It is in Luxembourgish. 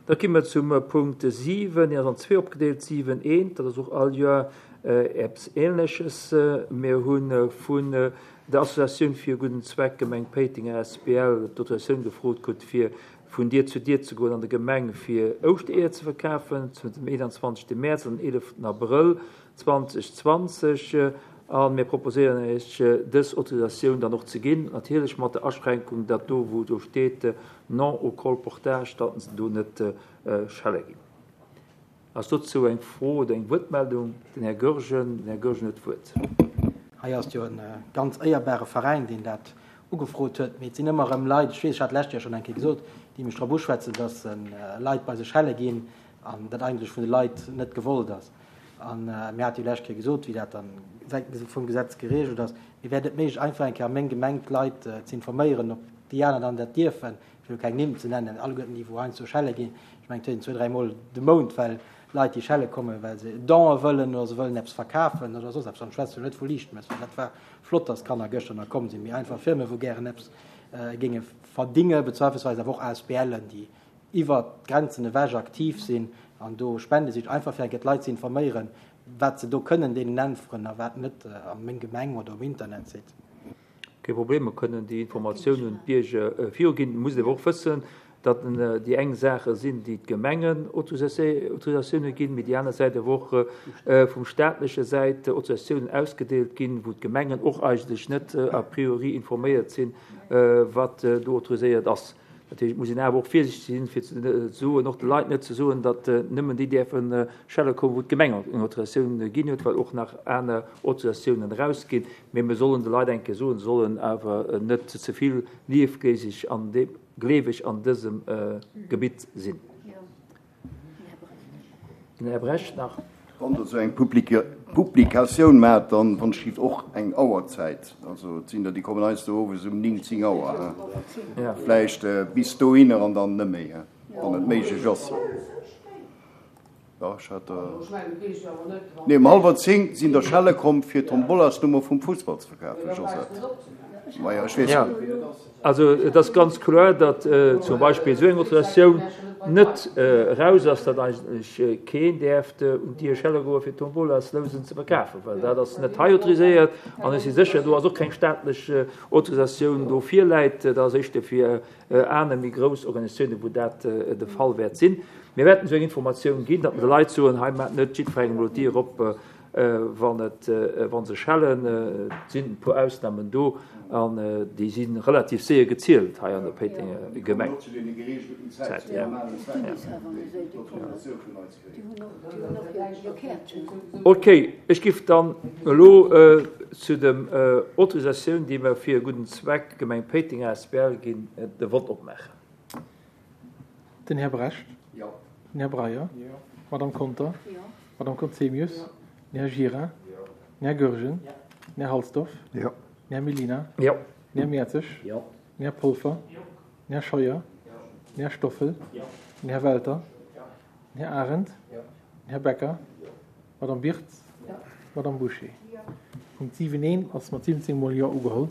Da gi mer zum Punkt 7, deen ass an zwee opgedeelt, 7 eent, dat ass och all Joer eppes Ähnleches. Mir hu vun der Associatioun fir e gudden Zweck Gemeng Péiteng asbl d'Autorisatioun gefrot krut, fir vun Dier zu Dier ze goen an der Gemeng, fir Ouschtereeër ze verkafen, zwëschen dem 21. Mäerz an den 11. Abrëll 2020. A mir proposéieren Iech, dës Autorisatioun dann och ze ginn, natierlech mat der Aschränkung, datt do, wou do steet non au colportage, datt se do net schelle ginn. Ass dozou eng Fro oder eng Wuertmeldung? Den Här Goergen. Den Här Goergen huet d'Wuert. Hei ass jo e ganz éierbare Veräin, deen dat ugefrot huet. Mee et sinn ëmmer erëm Leit, ech weess, ech hat d'lescht Joer schonn eng Kéier gesot, déi mech drop uschwätzen, dass se Leit bei sech schelle ginn an dat eigentlech vun de Leit net gewollt ass. A mir hate jo d'lescht Kéier gesot, wéi dat dann säitens vum Gesetz geregelt ass. Mee wär et net méiglech, einfach eng Kéier a meng Gemeng d'Leit ze informéieren, ob déi aner dann dat dierfen, fir elo keng Nimm ze nennen, alleguerten déi wou heiansdo schelle ginn, ech mengen et huet een zwou, dräi Mol de Mount, well Leit déi schelle kommen, well se Donë wëllen oder se wëllen eppes verkafen oder soss eppes. An ech schwätze jo net vu Liichtmëss, well dat war flott, datt d'Kanner gëschter nach komm sinn, mee einfach Firme wou gären eppes géinge verdinge, bezweifelsweis awer och ASBLen, déi iwwert d'Grenzen ewech aktiv sinn an do Spende sicht, einfach fir eng Kéier d'Leit ze informéieren, wat se do kënnen deenen äntweren a wat net a meng Gemeng oder um Internetsite. Kee Problem, mer kënnen déi Informatioun un d'Bierger viruginn. Et muss een awer och wëssen, datt déi eng Saache sinn, déi d'Gemengen Autorisatioune ginn, mee déi aner Säit awer och vum staatleche Säit Autorisatiounen ausgedeelt ginn, wou d'Gemengen och eigentlech net a priori informéiert sinn, wat do autoriséiert ass. Dat heescht, et muss een awer och virsiichteg sinn, fir ze soen, och de Leit net ze soen, datt nëmmen déi däerfe schelle kommen, wou d'Gemeng eng Autorisatioun ginn huet, well och nach aner Autorisatiounen erausginn. Mee mir sollen de Leit eng Kéier soen, se sollen awer net ze vill liefgléiseg an gleeweg an dësem Gebitt sinn. Den Här Brecht nach. Wann Der esou eng Publikatioun maacht, dann wann ech giff och eng Auerzäit, also et sinn der déi kommen heiansdo owes um 9, 10 Auer, vläicht bis dohinner an dann net méi, wann et méiglech ass. Jo, ech hat der, nee um hallwer 10 sinn der schelle komm fir d'Tombolasnummer vum Fussball ze verkafen, Josette. Maja, ech weess net wéi dat ass. Also et ass ganz kloer, datt zum Beispill esou eng Autorisatioun net eraus ass, datt eigentlech keen däerft un d'Dier schelle goe fir Tombolaslousen ze verkafen, well dat ass net hei autoriséiert an ech si sécher, do ass och keng staatlech Autorisatioun do virläit. Dat ass éischter fir aner méi grouss Organisatiounen, wou dat de Fall wäert sinn. Mir wäerten esou eng Informatioun ginn, datt mer de Leit soen, hei maacht net jiddwerengem elo d'Dier op, wann et, wa se schellen. Et sinn e puer Ausnamen do an déi si relativ séier gezielt hei an der Péitenger Gemeng. Ok, ech giff dann elo zu dem Autorisatioun, déi mer fir e gudden Zweck, Gemeng Péiteng asbl, ginn, de Vott opmaachen. Den Här Brecht. Jo. Den Här Breyer. Jo. D'Madame Conter. Jo. D'Madame Conzemius. Jo. Den Här Gira. Jo. Den Här Goergen. Jo. Den Här Halsdorf. Jo. Den Här Mellina. Jo. Den Här Mertzig. Jo. Den Här Polfer. Jo. Den Här Scheuer. Jo. Den Här Stoffel. Jo. Den Här Welter. Jo. Den Här Arendt. Jo. Den Här Becker. Jo. D'Madame Birtz. Jo. D'Madame Bouché. Jo. Punkt 7 I ass mat 17 mol Jo ugeholl.